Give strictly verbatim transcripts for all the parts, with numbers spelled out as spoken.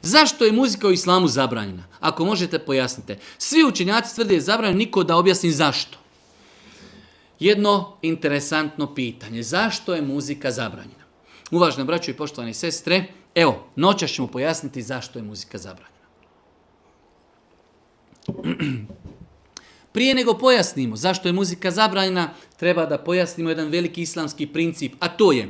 Zašto je muzika u islamu zabranjena? Ako možete, pojasnite. Svi učenjaci tvrde je zabranjeno, niko da objasni zašto. Jedno interesantno pitanje. Zašto je muzika zabranjena? Uvažene braćo i poštovane sestre, evo, noćas ćemo pojasniti zašto je muzika zabranjena. Prije nego pojasnimo zašto je muzika zabranjena, treba da pojasnimo jedan veliki islamski princip, a to je: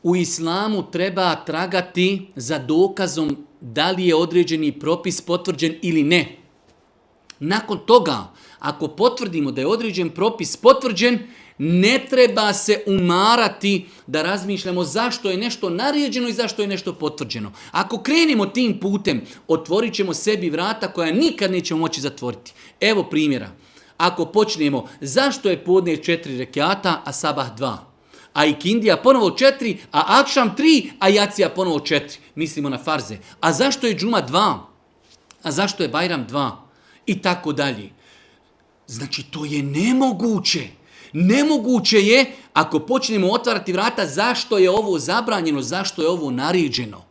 u islamu treba tragati za dokazom da li je određeni propis potvrđen ili ne. Nakon toga, ako potvrdimo da je određen propis potvrđen, ne treba se umarati da razmišljamo zašto je nešto naređeno i zašto je nešto potvrđeno. Ako krenemo tim putem, otvorit ćemo sebi vrata koja nikad nećemo moći zatvoriti. Evo primjera. Ako počnemo zašto je podne četiri rekiata, a sabah dva, a ikindija ponovo četiri, a akšam tri, a jacija ponovo četiri. Mislimo na farze. A zašto je džuma dva? A zašto je bajram dva? I tako dalje. Znači, to je nemoguće. Nemoguće je ako počnemo otvarati vrata zašto je ovo zabranjeno, zašto je ovo naređeno.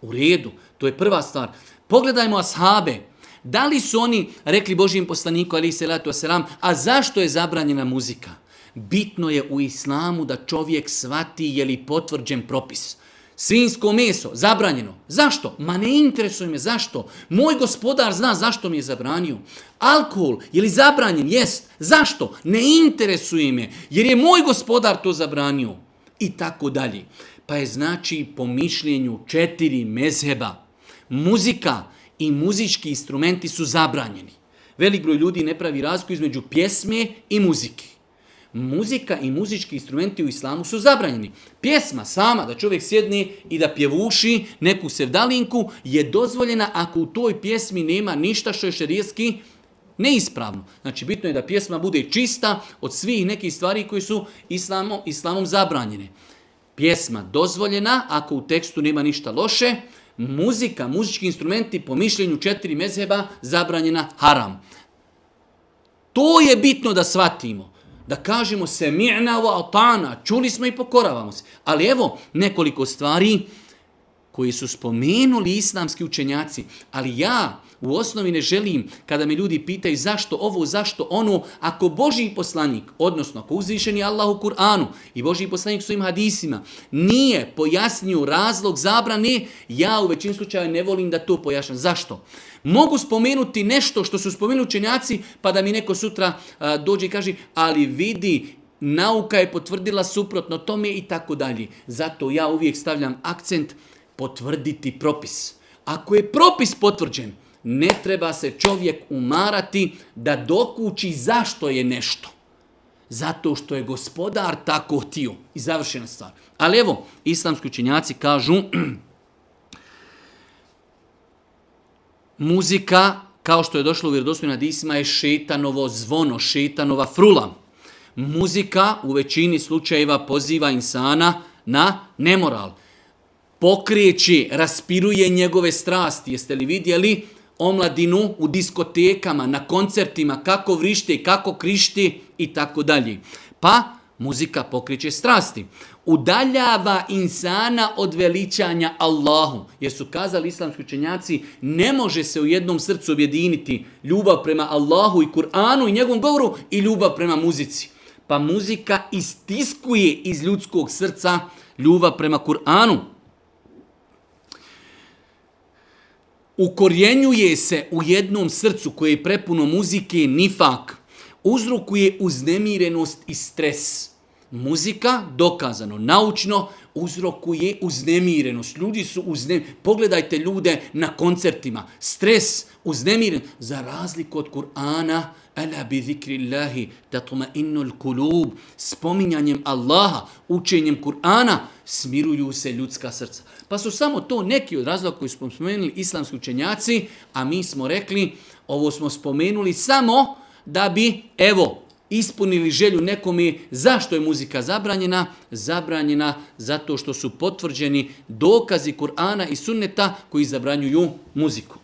U redu, to je prva stvar. Pogledajmo ashabe. Da li su oni rekli Božijem poslaniku, alejhi selatu vesselam, a zašto je zabranjena muzika? Bitno je u islamu da čovjek shvati je li potvrđen propis. Svinjsko meso, zabranjeno. Zašto? Ma ne interesuje me zašto. Moj gospodar zna zašto mi je zabranio. Alkohol, je li zabranjen? Jest. Zašto? Ne interesuje me, jer je moj gospodar to zabranio. I tako dalje. Pa je znači po mišljenju četiri mezheba muzika i muzički instrumenti su zabranjeni. Velik broj ljudi ne pravi razliku između pjesme i muzike. Muzika i muzički instrumenti u islamu su zabranjeni. Pjesma sama, da čovjek sjedne i da pjevuši neku sevdalinku, je dozvoljena ako u toj pjesmi nema ništa što je šerijski neispravno. Znači, bitno je da pjesma bude čista od svih nekih stvari koji su islamom, islamom zabranjene. Pjesma dozvoljena ako u tekstu nema ništa loše. Muzika, muzički instrumenti po mišljenju četiri mezheba zabranjena, haram. To je bitno da shvatimo. Da kažemo se mi'na wa ata'na, čuli smo i pokoravamo se. Ali evo nekoliko stvari koji su spomenuli islamski učenjaci. Ali ja u osnovi ne želim kada me ljudi pitaju zašto ovo, zašto ono, ako Božji poslanik, odnosno ako uzvišeni Allah u Kur'anu i Božji poslanik svojim hadisima nije pojasnio razlog zabrane, ja u većini slučajeva ne volim da to pojašnjam. Zašto? Mogu spomenuti nešto što su spomenuli učenjaci, pa da mi neko sutra a, dođe i kaže, ali vidi, nauka je potvrdila suprotno tome i tako dalje. Zato ja uvijek stavljam akcent potvrditi propis. Ako je propis potvrđen, ne treba se čovjek umarati da dokuči zašto je nešto. Zato što je gospodar tako htio. I završena stvar. Ali evo, islamski učenjaci kažu, muzika, kao što je došlo u vjerodostojnim hadisima, je šetanovo zvono, šetanova frula. Muzika u većini slučajeva poziva insana na nemoral. Pokreće, raspiruje njegove strasti. Jeste li vidjeli omladinu u diskotekama, na koncertima, kako vrište, kako krišti i tako dalje. Pa muzika pokreće strasti. Udaljava insana od veličanja Allahu. Jer su kazali islamski učenjaci, ne može se u jednom srcu objediniti ljubav prema Allahu i Kur'anu i njegovom govoru i ljubav prema muzici. Pa muzika istiskuje iz ljudskog srca ljubav prema Kur'anu. Ukorjenjuje se u jednom srcu koje je prepuno muzike nifak. Uzrokuje uznemirenost i stres. Muzika, dokazano, naučno, uzrokuje uznemirenost. Ljudi su uznemireni. Pogledajte ljude na koncertima. Stres, uznemiren. Za razliku od Kur'ana, ala bi zikrillahi tatma'innul kulub. Spominjanjem Allaha, učenjem Kur'ana, smiruju se ljudska srca. Pa su samo to neki od razloga koji smo spomenuli islamski učenjaci, a mi smo rekli, ovo smo spomenuli samo da bi, evo, ispunili želju nekome. Zašto je muzika zabranjena? Zabranjena zato što su potvrđeni dokazi Kur'ana i sunneta koji zabranjuju muziku.